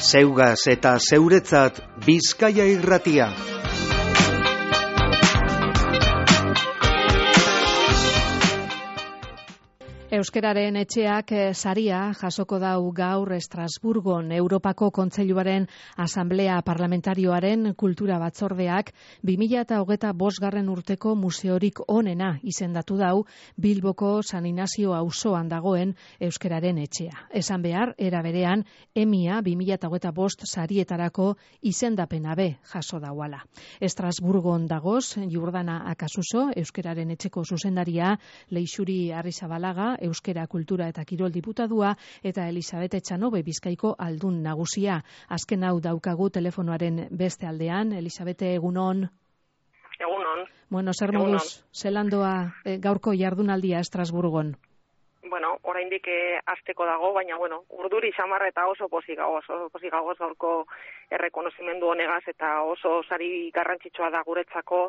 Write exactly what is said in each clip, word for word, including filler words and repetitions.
Zeugaz eta zeuretzat Bizkaia Irratia. Euskararen etxeak saria jasoko dau gaur Estrasburgon Europako Kontseiluaren Asanblea Parlamentarioaren Kultura Batzordeak bi mila hogeita bosgarren urteko museorik onena izendatu dau Bilboko San Inazio auzoan dagoen Euskararen etxea. Esan behar, era berean, emia bi mila hogeita bost sarietarako izendapena be jaso dauala. Estrasburgon dagoz, Jordana Akasuso, Euskararen etxeko zuzendaria, Leixuri Arrizabalaga, Euskera Kultura eta Kirol Diputadua, eta Elisabete Etxanobe Bizkaiko aldun nagusia. Azken hau daukagu telefonoaren beste aldean. Elisabete, egunon. Egunon. Bueno, zer moduz, zelandoa e, gaurko jardunaldia Estrasburgon? Bueno, oraindik eh, azteko dago, baina bueno, urduri xamar eta oso pozik gagoz, oso pozik gagoz gaurko errekonozimendu honegaz, eta oso sari garrantzitsua da guretzako,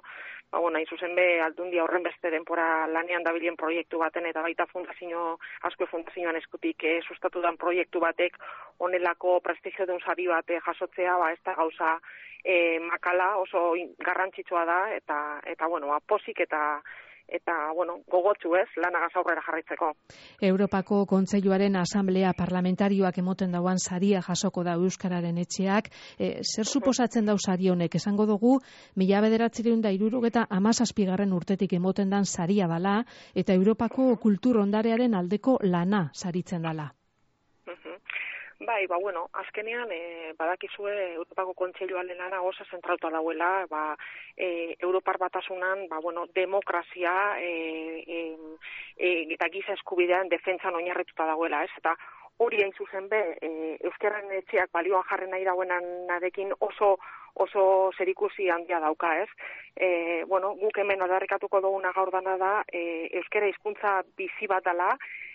ba, bueno, hain zuzen be, aldundia horren beste denpora lanean dabilen proiektu baten, eta baita fundazio, asko fundazioan eskutik eh, sustatu dan proiektu batek honelako prestigio duen sari bat eh, jasotzea, ba, ez da gauza eh, makala, oso garrantzitsua da, eta, eta bueno, ba, pozik eta eta, bueno, gogotsu ez, lanagaz aurrera jarraitzeko. Europako Kontseiluaren Asanblea Parlamentarioak emoten dauan saria jasoko da Euskararen etxeak. E, zer suposatzen dau sari honek? Esango dugu, mila bederatziehun eta hirurogeita hamazazpigarren urtetik emoten dan saria dala, eta Europako kultur ondarearen aldeko lana saritzen dala. Bai, ba, bueno, azkenean, e, badakizue Europako Kontseiluaren lana oso zentrauta dauela, ba, e, Europar Batasunan, ba, bueno, demokrazia e, e, e, eta giza eskubidean defentsan oinarrituta dauela, ez? Eta hori hain zuzen be, e, Euskararen etxeak balioan jarren nahi dauenarekin oso oso zerikusi handia dauka, ez? E, bueno, guk hemen aldarrikatuko duguna gaur dana da, e, euskara hizkuntza bizi bat dela,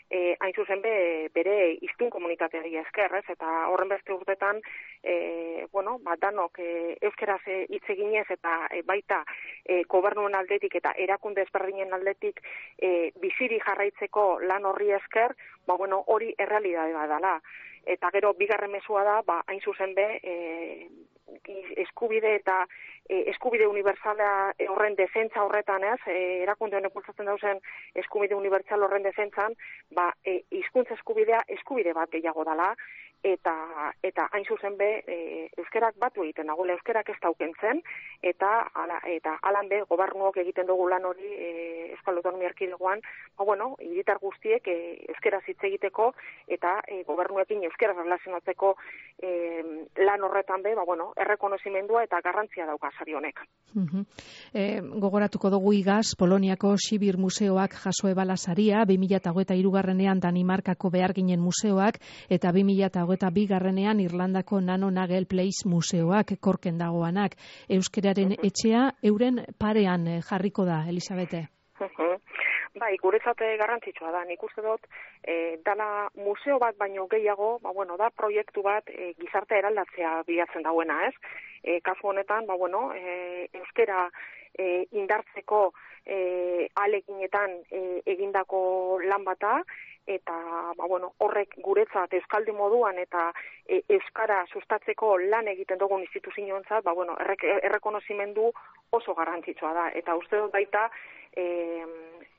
E, hain zuzen be, bere hiztun komunitateari esker, ez? Eta horren beste urtetan, e, bueno, ba, danok e, euskeraz hitz eginez eta e, baita e, gobernuen aldetik eta erakunde ezberdinen aldetik e, biziri jarraitzeko lan horri esker, ba, bueno, hori errealitatea dela. Eta gero bigarren mezua da, ba, hain zuzen be, e, eskubide eta e, eskubide unibertsala horren defentsa horretan, ez, e, erakunde honek bultzatzen dauzen eskubide unibertsal horren defentsan, ba, e, hizkuntza eskubidea eskubide bat gehiago dela, eta eta hain zuzen be, e, euskerak batu egiten dagoela, euskerak ez daukentzen, eta ala, eta alan be, gobernuok egiten dugu lan hori e, Euskal Autonomia Erkidegoan, ba, bueno, hiritar guztiek e, euskeraz hitz egiteko, eta e, gobernuekin euskeraz erlazionatzeko e, lan horretan be, ba, bueno, errekonozimendua eta garrantzia dauka sari honek. Uh-huh. E, gogoratuko dugu igaz, Poloniako Sibir Museoak jaso ebala saria, bi mila hogeita hirugarrenean Danimarkako Beharginen Museoak, eta bi mila hogeita bigarrenean Irlandako Nano Nagel Place Museoak korken dagoanak. Euskararen uh-huh. etxea euren parean jarriko da, Elisabete? Uh-huh. Bai, guretzat garrantzitsua da, nik uste dut, e, dala museo bat baino gehiago, ba, bueno, da proiektu bat e, gizarte eraldatzea bilatzen dauena, ez? E, kasu honetan, ba, bueno, e, euskera e, indartzeko e, aleginetan e, egindako lan bata, eta ba, bueno, horrek guretzat euskaldi moduan eta e, euskara sustatzeko lan egiten dugun instituzioentzat, ba, bueno, errek, errekonozimendu oso garrantzitsua da, eta uste dut baita e,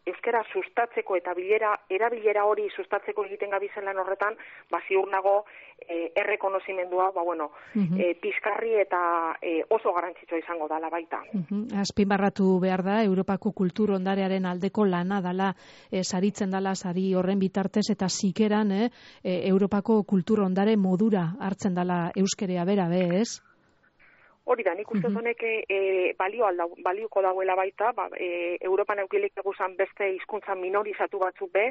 euskara sustatzeko eta bilera, erabilera hori sustatzeko egiten gabizen lan horretan, ba, ziur nago e, errekonozimendua, ba, bueno, uh-huh. e, pizkarri eta e, oso garrantzitsua izango dala baita. Uh-huh. Azpimarratu behar da, Europako kultur ondarearen aldeko lana dala, e, saritzen dala sari horren bitartez, eta zikeran, eh, e, Europako kultur ondare modura hartzen dala euskerea bera, be, ez? Hori da, nik uste honek e, balio alda, balioko dauela baita, ba, e, Europan eukilik eguzan beste hizkuntza minorizatu batzuk be,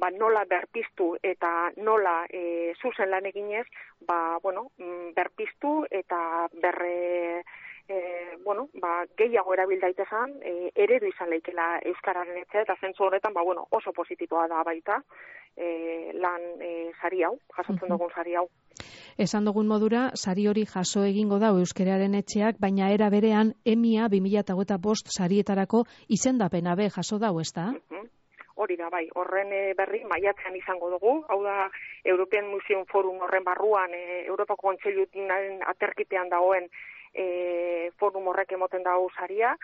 ba, nola berpiztu eta nola e, zuzen lan eginez, ba, bueno, berpiztu eta berre, e, bueno, ba, gehiago erabil daitezan, e, eredu izan leikela euskararen etxe, eta zentzu horretan, ba, bueno, oso positiboa da baita, e, lan e, sari hau, jasotzen dugun sari hau. Esan dugun modura, sari hori jaso egingo da euskararen etxeak, baina era berean emia bi mila hogeita bost sarietarako izendapena be jaso dau, ezta? Uh-huh. hori da, bai, horren berri maiatzean izango dugu, hau da, European Museum Forum horren barruan, e, Europako Kontseiluaren aterkipean dagoen e, forum horrek emoten dago saria,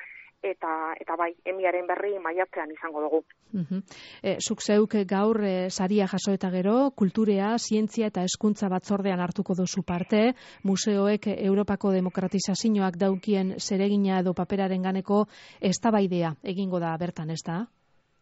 eta eta bai, emiaren berri maiatzean izango dugu. Uh-huh. E, zuk zeuk gaur e, saria jaso eta gero, kulturea, zientzia eta hezkuntza batzordean hartuko duzu parte, museoek Europako demokratizazioak daukien zeregina edo paperaren ganeko eztabaidea egingo da bertan, ez da?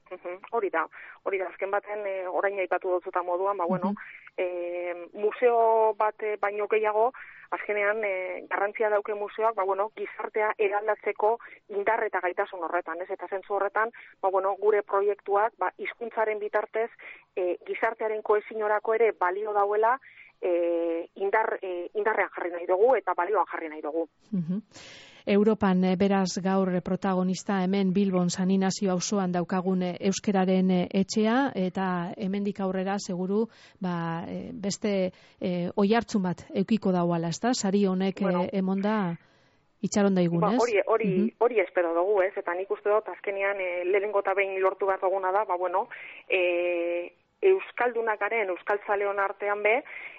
Uh-huh. Hori da, hori da, azken baten e, orain aipatu dutzuta moduan, ba bueno, uh-huh. e, museo bat baino gehiago, azkenean e, garrantzia dauke museoak, ba bueno, gizartea eraldatzeko indar eta gaitasun horretan, ez? Eta zentzu horretan, ba bueno, gure proiektuak, ba hizkuntzaren bitartez e, gizartearen kohesiorako ere balio dauela, e, indar e, indarrean jarri nahi dugu eta balioan jarri nahi dugu. Uh-huh. Europan beraz gaur protagonista hemen Bilbon San Inazio auzoan daukagun euskararen etxea, eta hemendik aurrera seguru ba, beste e, oihartzun bat eukiko dauala, ezta? Sari honek bueno, emonda itxaron daigun, ba, ez? Hori, hori, uh-huh. hori espero dugu, ez? Eta nik uste dut azkenean e, lehenengo eta behin lortu bat duguna da, ba bueno, e, euskaldunakaren, euskaltzaleon artean be,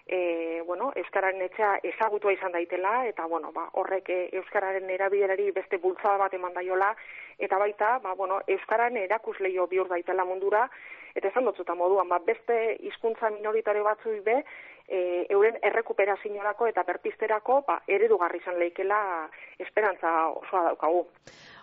e, bueno, euskararen etxea ezagutua izan daitela, eta bueno, ba, horrek e, euskararen erabilerari beste bultzada bat eman daiola, eta baita, ba, bueno, euskararen erakusleio bihur daitela mundura, eta esan dutzuta moduan, ba, beste hizkuntza minoritare batzui be, e, euren errekuperaziorako eta berpizterako, ba, eredugarri izan leikela esperantza osoa daukagu.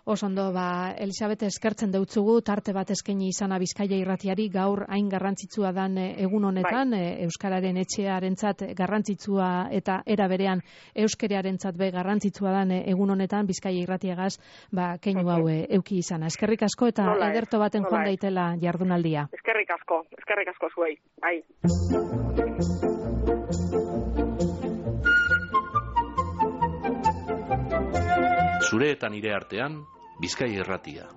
Osondo, ba, Elisabete, eskertzen deutzugu, tarte bat eskaini izana Bizkaia irratiari, gaur hain garrantzitsua dan egun honetan, bai. e, Euskararen etxearentzat garrantzitsua eta era berean euskerearentzat be garrantzitsua dan egun honetan, Bizkaia irratiagaz, ba, keinu hau e, euki izana. Eskerrik asko eta nola ederto baten joan daitela jardunaldia. Eskerrik asko, eskerrik asko zuei. Bai. Zure eta nire artean, Bizkaia irratia.